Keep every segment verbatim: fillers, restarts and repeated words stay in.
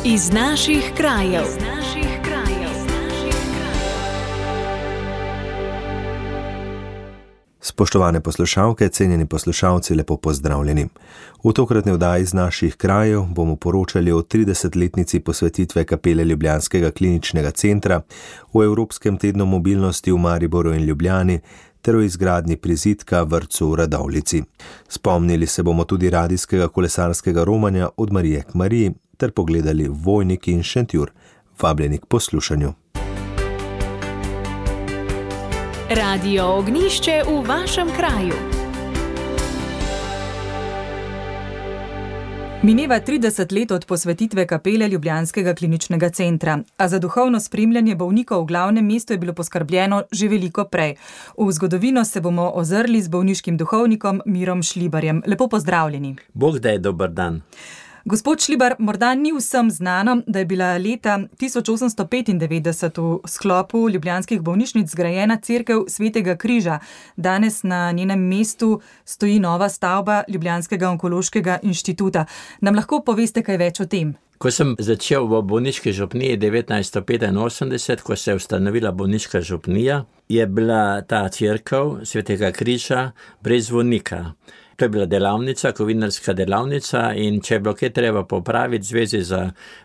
Iz naših krajev. Iz naših krajev. Spoštovane poslušalke, cenjeni poslušalci, lepo pozdravljeni. V tokratni oddaji iz naših krajev bomo poročali o tridesetletnici posvetitve kapele Ljubljanskega kliničnega centra, o Evropskem tednu mobilnosti v Mariboru in Ljubljani ter o izgradnji prizidka vrtcu v Radovljici. Spomnili se bomo tudi radijskega kolesarskega romanja Od Marije k Mariji ter pogledali Vojnik in Šentjur. Vabljeni k poslušanju. Radio Ognjišče v vašem kraju. Mineva trideset let od posvetitve kapele Ljubljanskega kliničnega centra, a za duhovno spremljanje bolnikov v glavnem mestu je bilo poskrbljeno že veliko prej. V zgodovino se bomo ozrli z bolniškim duhovnikom Mirom Šlibarjem. Lepo pozdravljeni. Bog daj, dober dan. Gospod Šlibar, morda ni vsem znano, da je bila leta tisoč osemsto petindevetdeset v sklopu ljubljanskih bolnišnic zgrajena cerkev Svetega križa. Danes na njenem mestu stoji nova stavba Ljubljanskega onkološkega inštituta. Nam lahko poveste kaj več o tem? Ko sem začel v bolniški župniji devetnajststo petinosemdeset, ko se je ustanovila bolniška župnija, je bila ta cerkev Svetega križa brez zvonika. To je bila delavnica, kovinarska delavnica, in če je bilo kaj treba popraviti v zvezi z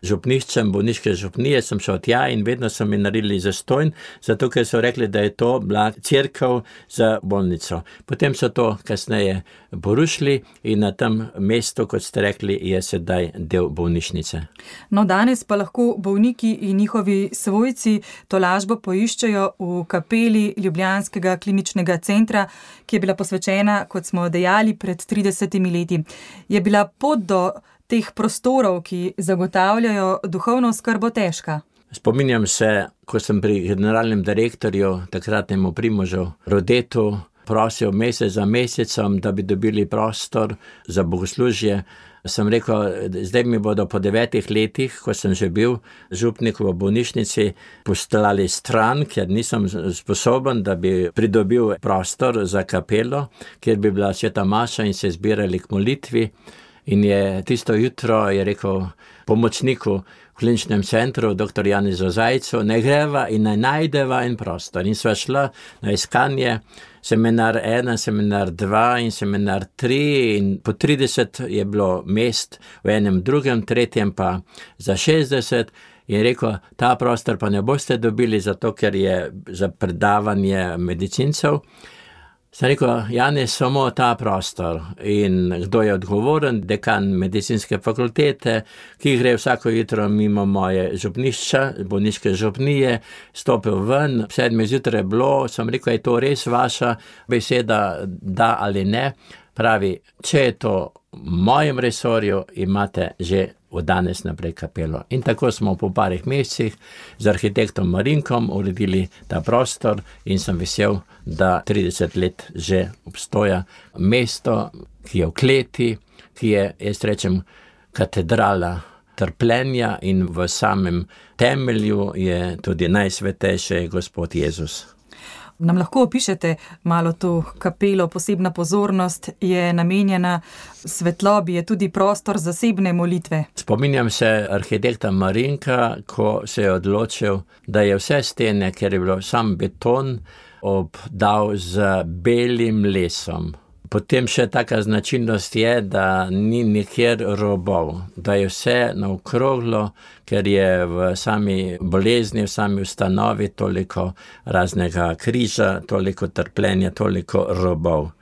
župniščem bolniške župnije, sem šel tja in vedno so mi naredili zastonj, zato ker so rekli, da je to bila cerkev za bolnico. Potem so to kasneje porušili in na tem mestu, kot ste rekli, je sedaj del bolnišnice. No, danes pa lahko bolniki in njihovi svojci tolažbo poiščejo v kapeli Ljubljanskega kliničnega centra, ki je bila posvečena, kot smo dejali, pred tridesetimi leti. Je bila pot do teh prostorov, ki zagotavljajo duhovno oskrbo, težka? Spominjam se, ko sem pri generalnem direktorju, takratnemu Primožu Rodetu, prosil mesec za mesecem, da bi dobili prostor za bogoslužje. Sem rekel, zdaj mi bodo po devetih letih, ko sem že bil župnik v bolnišnici, poslali stran, ker nisem sposoben, da bi pridobil prostor za kapelo, kjer bi bila sveta maša in se zbirali k molitvi. In je tisto jutro je rekel pomočniku v kliničnem centru, doktor Janezu Zajcu, ne greva in ne najdeva en prostor. In sva šla na iskanje, seminar ena, seminar dva in seminar tri, in po trideset je bilo mest v enem drugem, tretjem pa za šestdeset. In rekel, ta prostor pa ne boste dobili, zato ker je za predavanje medicincev. Sem rekel, Janez, samo ta prostor. In kdo je odgovoren? Dekan medicinske fakultete, ki gre vsako jutro mimo moje župnišča, bolniške župnije, stopil ven, sedme zjutraj bilo, sem rekel, je to res vaša beseda, da ali ne? Pravi, če je to v mojem resorju, imate že od danes naprej kapelo. In tako smo po parih mesecih z arhitektom Marinkom uredili ta prostor in sem vesel, da trideset let že obstoja mesto, ki je v kleti, ki je, jaz rečem, katedrala trpljenja, in v samem temelju je tudi najsvetejši Gospod Jezus. Nam lahko opišete malo to kapelo? Posebna pozornost je namenjena svetlobi, je tudi prostor zasebne molitve. Spominjam se arhitekta Marinka, ko se je odločil, da je vse stene, ker je bilo sam beton, obdal z belim lesom. Potem še taka značilnost je, da ni nikjer robov, da je vse naokroglo, ker je v sami bolezni, v sami ustanovi toliko raznega križa, toliko trpljenja, toliko robov.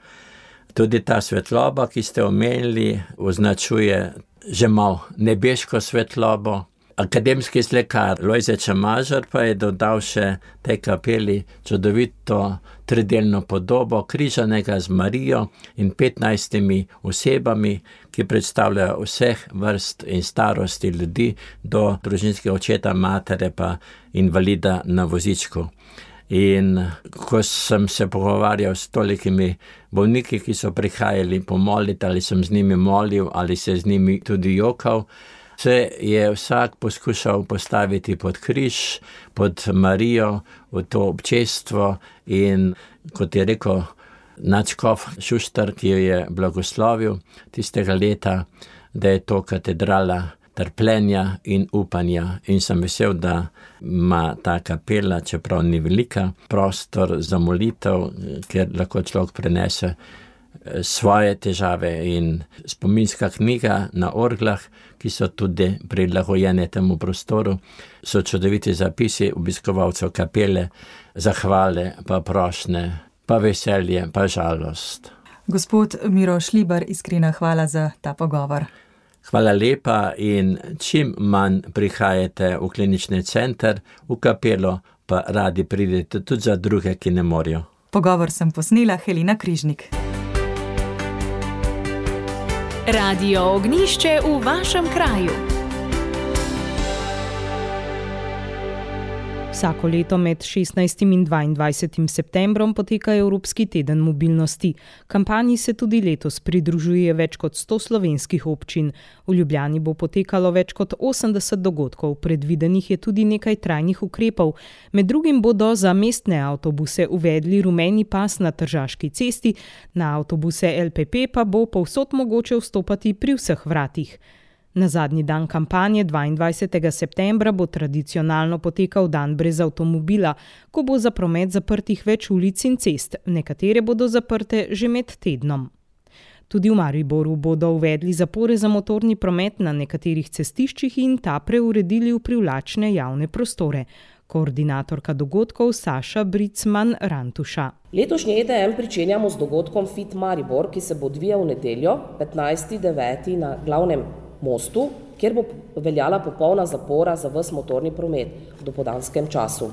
Tudi ta svetloba, ki ste omenili, označuje že malo nebeško svetlobo. Akademski slikar Lojze Čemažar pa je dodal še tej kapeli čudovito tridelno podobo križanega z Marijo in petnajstimi osebami, ki predstavljajo vseh vrst in starosti ljudi, do družinskega očeta, matere pa invalida na vozičku. In ko sem se pogovarjal s tolikimi bolniki, ki so prihajali pomoliti, ali sem z njimi molil, ali se z njimi tudi jokal, se je vsak poskušal postaviti pod križ, pod Marijo, v to občestvo, in kot je rekel nadškof Šuštar, ki jo je blagoslovil tistega leta, da je to katedrala trpljenja in upanja. In sem vesel, da ima ta kapela, čeprav ni velika, prostor za molitev, kjer lahko človek prenese svoje težave, in spominska knjiga na orglah, ki so tudi prilagojene temu prostoru, so čudoviti zapisi obiskovalcev kapele, zahvale, pa prošnje, pa veselje, pa žalost. Gospod Miro Šlibar, iskrena hvala za ta pogovor. Hvala lepa in čim manj prihajate v klinični center, v kapelo, pa radi pridete tudi za druge, ki ne morejo. Pogovor sem posnela Helena Križnik. Radio Ognjišče v vašem kraju. Vsako leto med šestnajstim in dvaindvajsetim septembrom poteka Evropski teden mobilnosti. Kampanji se tudi letos pridružuje več kot sto slovenskih občin. V Ljubljani bo potekalo več kot osemdeset dogodkov, predvidenih je tudi nekaj trajnih ukrepov. Med drugim bodo za mestne avtobuse uvedli rumeni pas na Tržaški cesti, na avtobuse L P P pa bo povsod mogoče vstopati pri vseh vratih. Na zadnji dan kampanje, dvaindvajsetega septembra, bo tradicionalno potekal dan brez avtomobila, ko bo za promet zaprtih več ulic in cest, nekatere bodo zaprte že med tednom. Tudi v Mariboru bodo uvedli zapore za motorni promet na nekaterih cestiščih in ta preuredili v privlačne javne prostore. Koordinatorka dogodkov Saša Bricman-Rantuša. Letošnji E D M pričenjamo z dogodkom Fit Maribor, ki se bo odvijal v nedeljo, petnajstega devetega na glavnem mostu, kjer bo veljala popolna zapora za ves motorni promet v dopoldanskem času.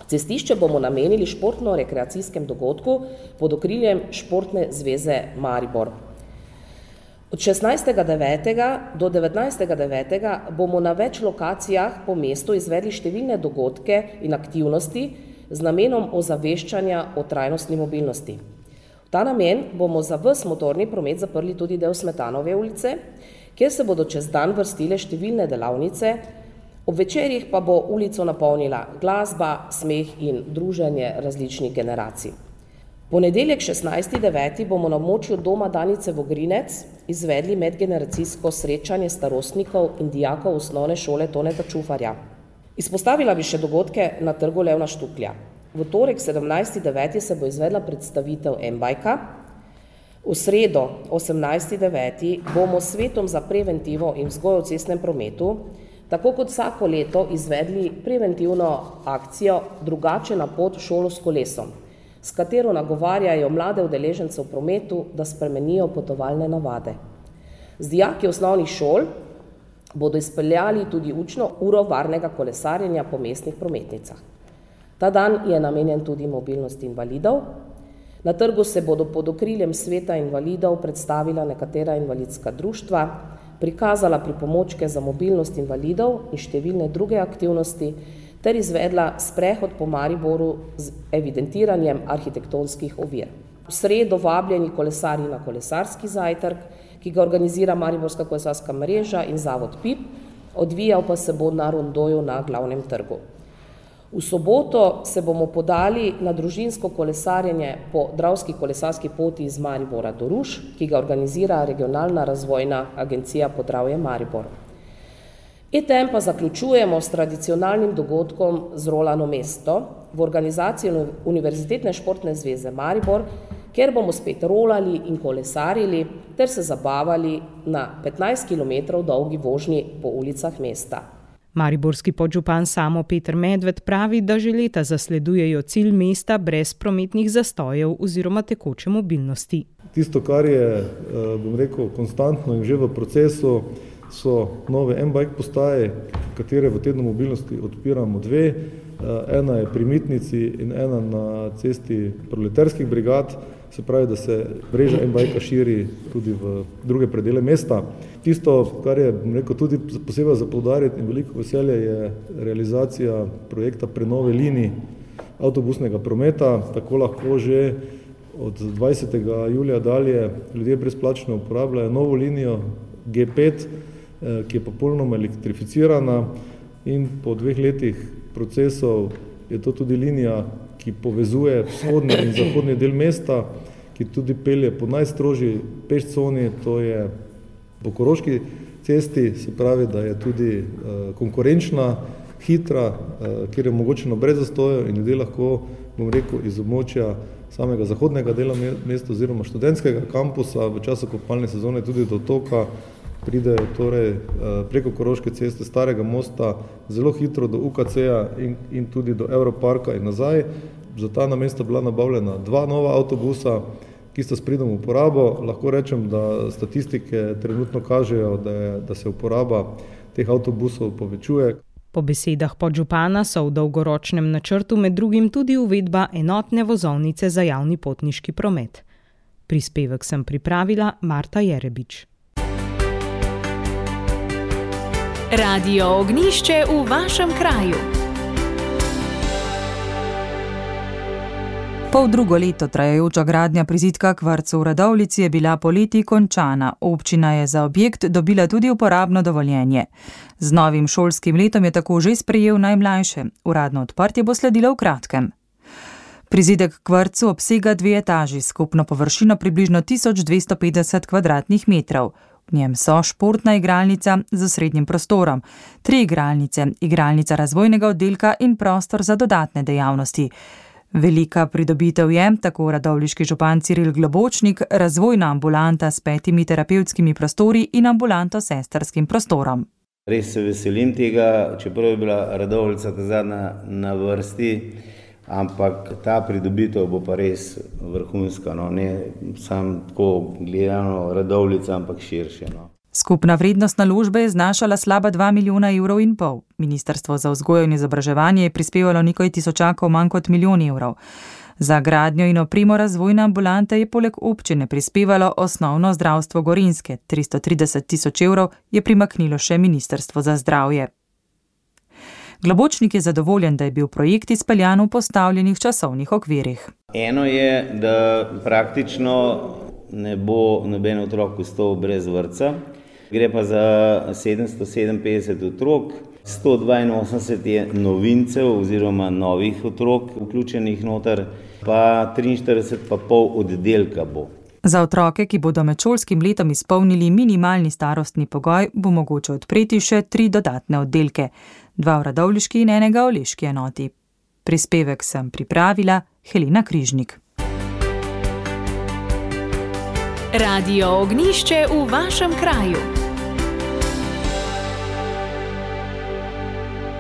Cestišče bomo namenili športno-rekreacijskem dogodku pod okriljem Športne zveze Maribor. Od šestnajstega devetega do devetnajstega devetega bomo na več lokacijah po mestu izvedli številne dogodke in aktivnosti z namenom ozaveščanja o trajnostni mobilnosti. V ta namen bomo za ves motorni promet zaprli tudi del Smetanove ulice, kjer se bodo čez dan vrstile številne delavnice, ob večerjih pa bo ulico napolnila glasba, smeh in druženje različnih generacij. Ponedeljek šestnajstega devetega bomo na območju doma Danice Vogrinec izvedli medgeneracijsko srečanje starostnikov in dijakov osnovne šole Toneta Čufarja. Izpostavila bi še dogodke na trgu Levna Štuklja. V torek sedemnajstega devetega se bo izvedla predstavitev M-bajka. V sredo osemnajstega devetega bomo s Svetom za preventivo in vzgojo v cestnem prometu, tako kot vsako leto, izvedli preventivno akcijo Drugače na pot v šolo s kolesom, s katero nagovarjajo mlade udeležence v prometu, da spremenijo potovalne navade. Z dijaki osnovnih šol bodo izpeljali tudi učno uro varnega kolesarjenja po mestnih prometnicah. Ta dan je namenjen tudi mobilnosti invalidov. Na trgu se bodo pod okriljem Sveta invalidov predstavila nekatera invalidska društva, prikazala pripomočke za mobilnost invalidov in številne druge aktivnosti ter izvedla sprehod po Mariboru z evidentiranjem arhitektonskih ovir. V sredo vabljeni kolesarji na kolesarski zajtrk, ki ga organizira Mariborska kolesarska mreža in Zavod P I P, odvijal pa se bo na rondoju na glavnem trgu. V soboto se bomo podali na družinsko kolesarjenje po Dravski kolesarski poti iz Maribora do Ruš, ki ga organizira Regionalna razvojna agencija Podravje Maribor. E T M pa zaključujemo s tradicionalnim dogodkom z rolano mesto v organizaciji Univerzitetne športne zveze Maribor, kjer bomo spet rolali in kolesarili ter se zabavali na petnajst kilometrov dolgi vožnji po ulicah mesta. Mariborski podžupan Samo Peter Medved pravi, da že leta zasledujejo cilj mesta brez prometnih zastojev oziroma tekoče mobilnosti. Tisto, kar je, bom rekel, konstantno in že v procesu, so nove M-bike postaje, katere v tednu mobilnosti odpiramo dve. Ena je pri Mitnici in ena na cesti proletarskih brigad, se pravi, da se mreža M-bajka širi tudi v druge predele mesta. Tisto, kar je, bom rekel, tudi posebej za poudariti in veliko veselje, je realizacija projekta prenove linij avtobusnega prometa. Tako lahko že od dvajsetega julija dalje ljudje brezplačno uporabljajo novo linijo G pet, ki je popolnoma elektrificirana, in po dveh letih procesov je to tudi linija, ki povezuje vzhodni in zahodni del mesta, ki tudi pelje po najstrožji peš coni, to je po Koroški cesti, se pravi, da je tudi konkurenčna, hitra, kjer je omogočeno brez zastojev in ljudje lahko, bom rekel, iz območja samega zahodnega dela mesta oziroma študentskega kampusa v času kopalne sezone tudi do otoka pridejo torej preko Koroške ceste, Starega mosta, zelo hitro do U K C-ja in, in tudi do Evroparka in nazaj. Za ta namen sta bila nabavljena dva nova avtobusa, ki sta s pridom v uporabo. Lahko rečem, da statistike trenutno kažejo, da, je, da se uporaba teh avtobusov povečuje. Po besedah podžupana so v dolgoročnem načrtu med drugim tudi uvedba enotne vozovnice za javni potniški promet. Prispevek sem pripravila Marta Jerebič. Radio Ognjišče v vašem kraju. Pol drugo leto trajajoča gradnja prizidka k vrtcu v Radovljici je bila poleti končana. Občina je za objekt dobila tudi uporabno dovoljenje. Z novim šolskim letom je tako že sprejel najmlajše. Uradno odprtje bo sledilo v kratkem. Prizidek k vrtcu obsega dve etaži, skupno površino približno tisoč dvesto petdeset kvadratnih metrov. V njem so športna igralnica z osrednjim prostorom, tri igralnice, igralnica razvojnega oddelka in prostor za dodatne dejavnosti. Velika pridobitev je, tako radovljiški župan Ciril Globočnik, razvojna ambulanta s petimi terapevtskimi prostori in ambulanto s sestrskim prostorom. Res se veselim tega, čeprav je bila Radovljica ta zadnja na vrsti, ampak ta pridobitev bo pa res vrhunska, no? Ne samo tako gledano Radovljica, ampak širše. No? Skupna vrednost naložbe je znašala slaba dva milijona evrov in pol. Ministrstvo za vzgojo in izobraževanje je prispevalo nekaj tisočakov manj kot milijon evrov. Za gradnjo in opremo razvojne ambulante je poleg občine prispevalo osnovno zdravstvo Gorenjske. tristo trideset tisoč evrov je primaknilo še Ministrstvo za zdravje. Globočnik je zadovoljen, da je bil projekt izpeljan v postavljenih časovnih okvirih. Eno je, da praktično ne bo noben otrok ostal brez vrtca. Gre pa za sedemsto sedeminpetdeset otrok, sto dvainosemdeset je novincev oziroma novih otrok vključenih noter, pa triinštirideset pa pol oddelka bo. Za otroke, ki bodo med šolskim letom izpolnili minimalni starostni pogoj, bo mogoče odpreti še tri dodatne oddelke, dva v radovljiški in enega v leški enoti. Prispevek sem pripravila Helena Križnik. Radio Ognjišče v vašem kraju.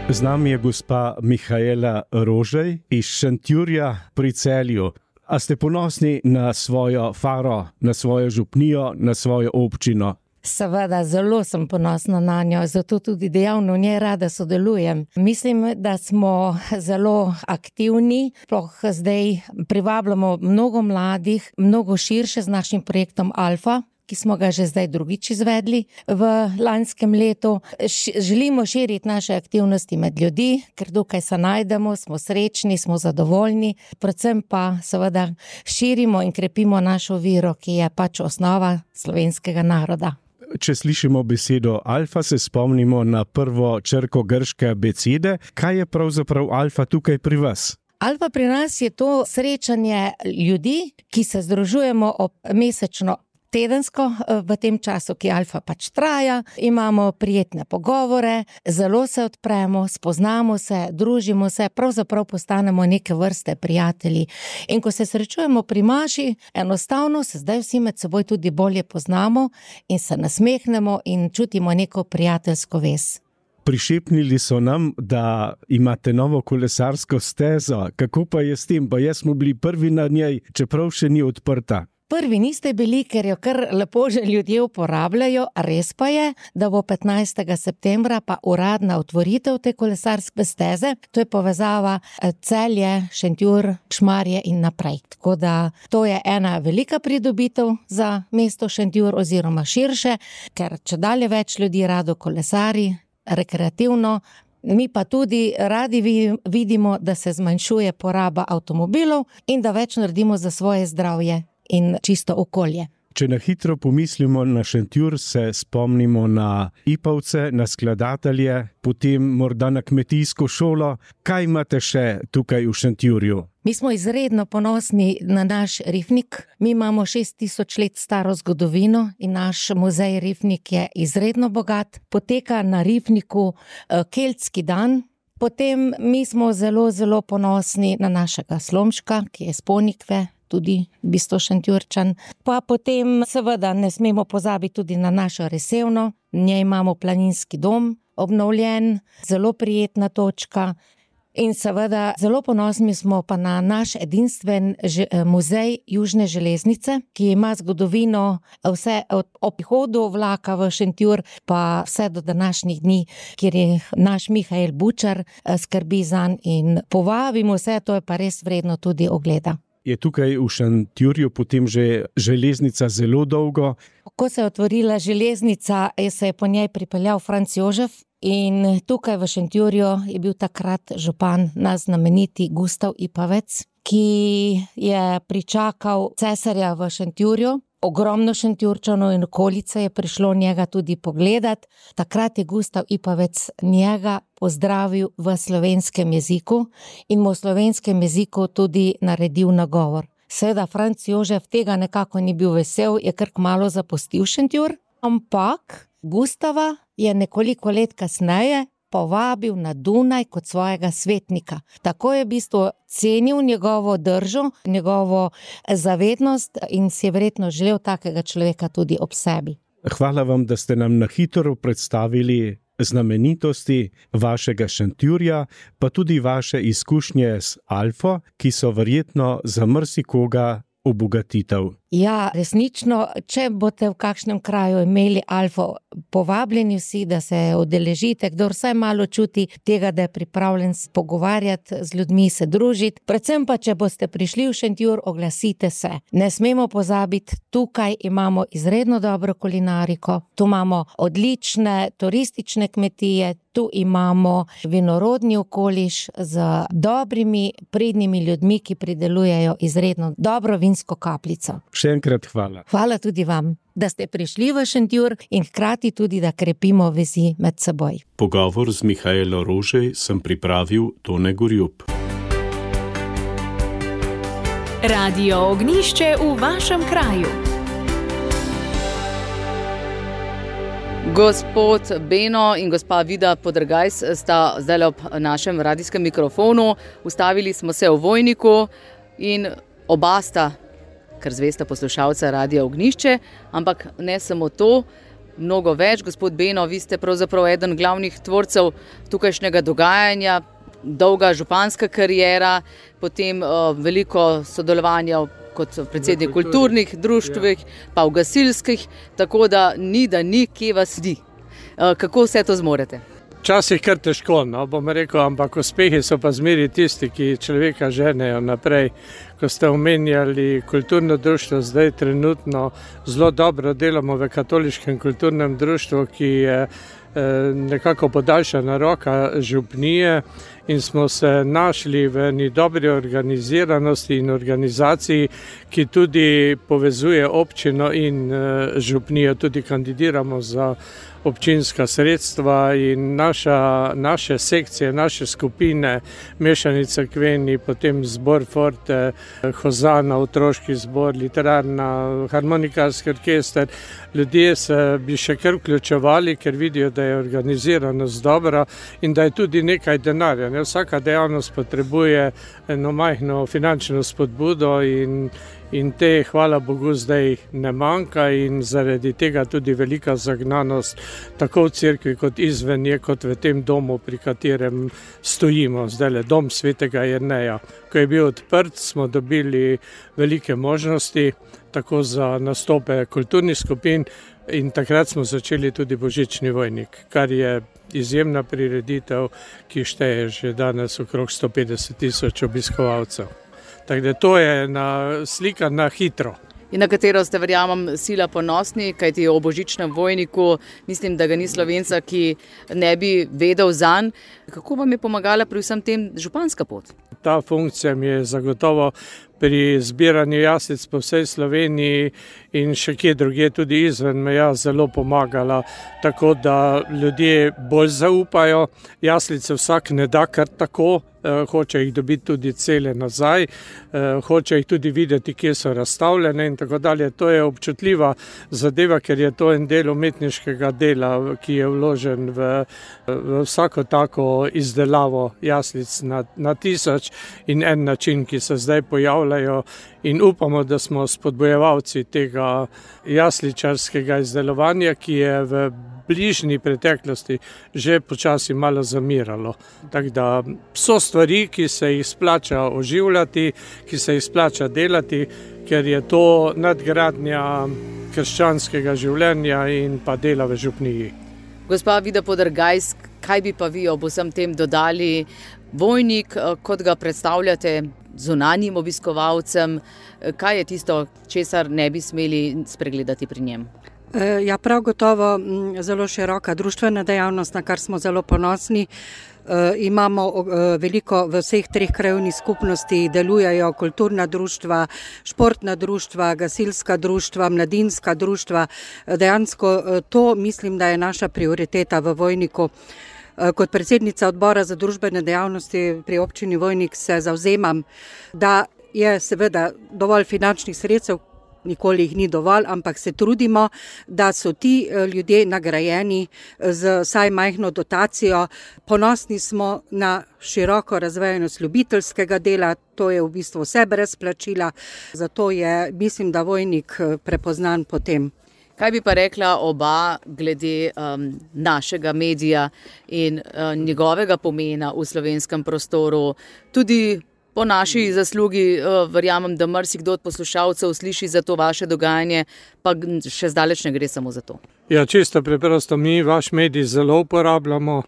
Z nami je gospa Mihaela Rožej iz Šentjurja pri Celju. A ste ponosni na svojo faro, na svojo župnijo, na svojo občino? Seveda, zelo sem ponosna na njo, zato tudi dejavno v njej rada sodelujem. Mislim, da smo zelo aktivni, sploh zdaj privabljamo mnogo mladih, mnogo širše z našim projektom Alfa, ki smo ga že zdaj drugič izvedli v lanskem letu. Želimo širiti naše aktivnosti med ljudi, ker tukaj se najdemo, smo srečni, smo zadovoljni, predvsem pa seveda širimo in krepimo našo vero, ki je pač osnova slovenskega naroda. Če slišimo besedo alfa, se spomnimo na prvo črko grške abecede. Kaj je pravzaprav alfa tukaj pri vas? Alfa pri nas je to srečanje ljudi, ki se združujemo ob mesečno tedensko v tem času, ki alfa pač traja, imamo prijetne pogovore, zelo se odpremo, spoznamo se, družimo se, pravzaprav postanemo neke vrste prijatelji. In ko se srečujemo pri maši, enostavno se zdaj vsi med seboj tudi bolje poznamo in se nasmehnemo in čutimo neko prijateljsko vez. Prišepnili so nam, da imate novo kolesarsko stezo. Kako pa je s tem? Pa jaz smo bili prvi na njej, čeprav še ni odprta. Prvi niste bili, ker jo kar lepo že ljudje uporabljajo, res pa je, da bo petnajstega septembra pa uradna otvoritev te kolesarske steze. To je povezava Celje, Šentjur, Šmarje in naprej. Tako da to je ena velika pridobitev za mesto Šentjur oziroma širše, ker čedalje več ljudi rado kolesari, rekreativno. Mi pa tudi radi vidimo, da se zmanjšuje poraba avtomobilov in da več naredimo za svoje zdravje in čisto okolje. Če na hitro pomislimo na Šentjur, se spomnimo na Ipavce, na skladatelje, potem morda na kmetijsko šolo. Kaj imate še tukaj v Šentjurju? Mi smo izredno ponosni na naš rifnik. Mi imamo šest tisoč let staro zgodovino in naš muzej Rifnik je izredno bogat. Poteka na rifniku keltski dan. Potem mi smo zelo, zelo ponosni na našega Slomška, ki je iz Ponikve, tudi v bistvu Šentjurčan. Pa potem seveda ne smemo pozabiti tudi na našo Resevno. V njej imamo planinski dom, obnovljen, zelo prijetna točka. In seveda zelo ponosni smo pa na naš edinstven muzej Južne železnice, ki ima zgodovino vse od prihodu vlaka v Šentjur pa vse do današnjih dni, kjer je naš Mihael Bučar skrbi zanj in povabimo vse, to je pa res vredno tudi ogleda. Je tukaj v Šentjurju potem že železnica zelo dolgo? Ko se je otvorila železnica, se je po njej pripeljal Franc Jožef in tukaj v Šentjurju je bil takrat župan naš znameniti Gustav Ipavec, ki je pričakal cesarja v Šentjurju. Ogromno Šentjurčanov in okolice je prišlo njega tudi pogledat. Takrat je Gustav Ipavec njega pozdravil v slovenskem jeziku in mu v slovenskem jeziku tudi naredil nagovor. Seveda Franc Jožef tega nekako ni bil vesel, je kar kmalu zapustil Šentjur, ampak Gustava je nekoliko let kasneje povabil na Dunaj kot svojega svetnika. Tako je v bistvu cenil njegovo držo, njegovo zavednost in si je verjetno želel takega človeka tudi ob sebi. Hvala vam, da ste nam na hitro predstavili znamenitosti vašega Šentjurja, pa tudi vaše izkušnje z Alfo, ki so verjetno za marsikoga obogatitev. Ja, resnično, če boste v kakšnem kraju imeli Alfo, povabljeni vsi, da se udeležite, kdor vsaj malo čuti tega, da je pripravljen pogovarjati z ljudmi, se družiti. Predvsem pa, če boste prišli v Šentjur, oglasite se. Ne smemo pozabiti, tukaj imamo izredno dobro kulinariko, tu imamo odlične turistične kmetije, tu imamo vinorodni okoliš z dobrimi, pridnimi ljudmi, ki pridelujejo izredno dobro vinsko kapljico. Še enkrat hvala. Hvala tudi vam, da ste prišli v Šentjur in hkrati tudi, da krepimo vezi med seboj. Pogovor z Mihaelo Rožej sem pripravil Tone Gorjup. Radio Ognjišče v vašem kraju. Gospod Beno in gospa Vida Podrgajs sta zdaj ob našem radijskem mikrofonu. Ustavili smo se v Vojniku in oba sta kar zvesta poslušalca Radia Ognjišče, ampak ne samo to, mnogo več. Gospod Beno, vi ste pravzaprav eden glavnih tvorcev tukajšnjega dogajanja, dolga županska kariera, potem uh, veliko sodelovanja kot predsednik kulturnih društvih, ja. Pa v gasilskih, tako da ni, da ni, kje vas di. Uh, kako vse to zmorete? Včasih kar težko, no, bom rekel, ampak uspehi so pa zmeri tisti, ki človeka ženejo naprej. Ko ste omenjali kulturno društvo, zdaj trenutno zelo dobro delamo v katoliškem kulturnem društvu, ki je nekako podaljšana roka župnije in smo se našli v eni dobri organiziranosti in organizaciji, ki tudi povezuje občino in župnijo, tudi kandidiramo za občinska sredstva in naša, naše sekcije, naše skupine, mešani cerkveni, potem zbor Forte, Hozana, otroški zbor, literarna, harmonikarski orkester. Ljudje se bi še kar vključevali, ker vidijo, da je organiziranost dobra in da je tudi nekaj denarja. Ne? Vsaka dejavnost potrebuje eno majhno finančno spodbudo in In te, hvala Bogu, zdaj ne manjka in zaradi tega tudi velika zagnanost tako v cerkvi kot izven je, kot v tem domu, pri katerem stojimo. Zdajle dom svetega Jerneja. Ko je bil odprt, smo dobili velike možnosti, tako za nastope kulturnih skupin in takrat smo začeli tudi Božični Vojnik, kar je izjemna prireditev, ki šteje že danes okrog sto petdeset tisoč obiskovalcev. Tako da to je na slika na hitro. In na katero ste, verjamem, sila ponosni, kajti o Božičnem Vojniku mislim, da ga ni Slovenca, ki ne bi vedel zanj. Kako vam je pomagala pri vsem tem županska pot? Ta funkcija mi je zagotovo pri zbiranju jaslic po vsej Sloveniji in še kje drugje tudi izven meja zelo pomagala, tako da ljudje bolj zaupajo. Jaslice vsak ne da kar tako, eh, hoče jih dobiti tudi cele nazaj, eh, hoče jih tudi videti, kje so razstavljene in tako dalje. To je občutljiva zadeva, ker je to en del umetniškega dela, ki je vložen v, v vsako tako izdelavo jaslic na, na tisoč in en način, ki se zdaj pojavljajo, in upamo, da smo spodbojevalci tega jasličarskega izdelovanja, ki je v bližnji preteklosti že počasi malo zamiralo. Tako da so stvari, ki se jih splača oživljati, ki se jih splača delati, ker je to nadgradnja krščanskega življenja in pa dela v župniji. Gospa Vida Podrgajs, kaj bi pa vi ob vsem tem dodali? Vojnik, kot ga predstavljate zunanjim obiskovalcem, kaj je tisto, česar ne bi smeli spregledati pri njem? Ja, prav gotovo zelo široka društvena dejavnost, na kar smo zelo ponosni. E, imamo e, veliko v vseh treh krajevnih skupnosti, delujejo kulturna društva, športna društva, gasilska društva, mladinska društva. Dejansko e, to mislim, da je naša prioriteta v Vojniku. E, kot predsednica odbora za družbene dejavnosti pri občini Vojnik se zavzemam, da je seveda dovolj finančnih sredstev, nikoli jih ni dovolj, ampak se trudimo, da so ti ljudje nagrajeni z vsaj majhno dotacijo. Ponosni smo na široko razvejanost ljubiteljskega dela, to je v bistvu vse brez plačila, zato je, mislim, da Vojnik prepoznan po tem. Kaj bi pa rekla oba glede um, našega medija in uh, njegovega pomena v slovenskem prostoru, tudi po naši zaslugi, verjamem, da marsikdo od poslušalcev sliši za to vaše dogajanje, pa še zdaleč ne gre samo za to. Ja, čisto preprosto, mi vaš medij zelo uporabljamo,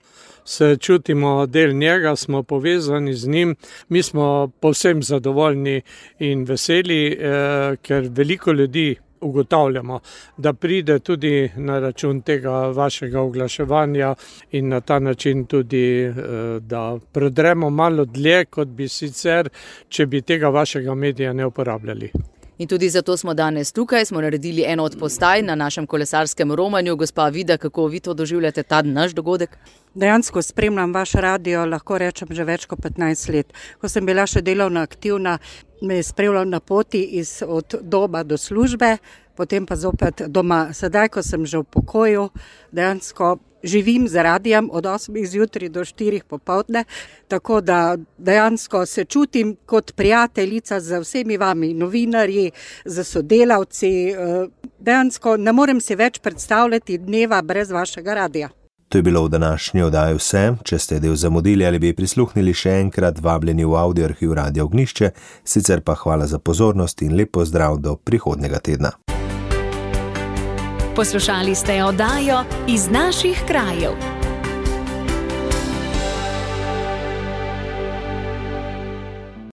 se čutimo del njega, smo povezani z njim, mi smo povsem zadovoljni in veseli, eh, ker veliko ljudi ugotavljamo, da pride tudi na račun tega vašega oglaševanja in na ta način tudi, da prodremo malo dlje, kot bi sicer, če bi tega vašega medija ne uporabljali. In tudi zato smo danes tukaj, smo naredili eno od postaj na našem kolesarskem romanju. Gospa Vida, kako vi to doživljate, ta naš dogodek? Dejansko spremljam vaš radio, lahko rečem, že več kot petnajst let. Ko sem bila še delovno aktivna, me je spremljal na poti iz, od doma do službe, potem pa zopet doma. Sedaj, ko sem že v pokoju, dejansko živim z radijem od osmih zjutraj do štirih popoldne, tako da dejansko se čutim kot prijateljica z vsemi vami, novinarji, z sodelavci. Dejansko ne morem si več predstavljati dneva brez vašega radija. To je bilo v današnji oddaji vse. Če ste del zamudili ali bi prisluhnili še enkrat, vabljeni v audio arhiv Radia Ognjišče, sicer pa hvala za pozornost in lep pozdrav do prihodnjega tedna. Poslušali ste oddajo Iz naših krajev.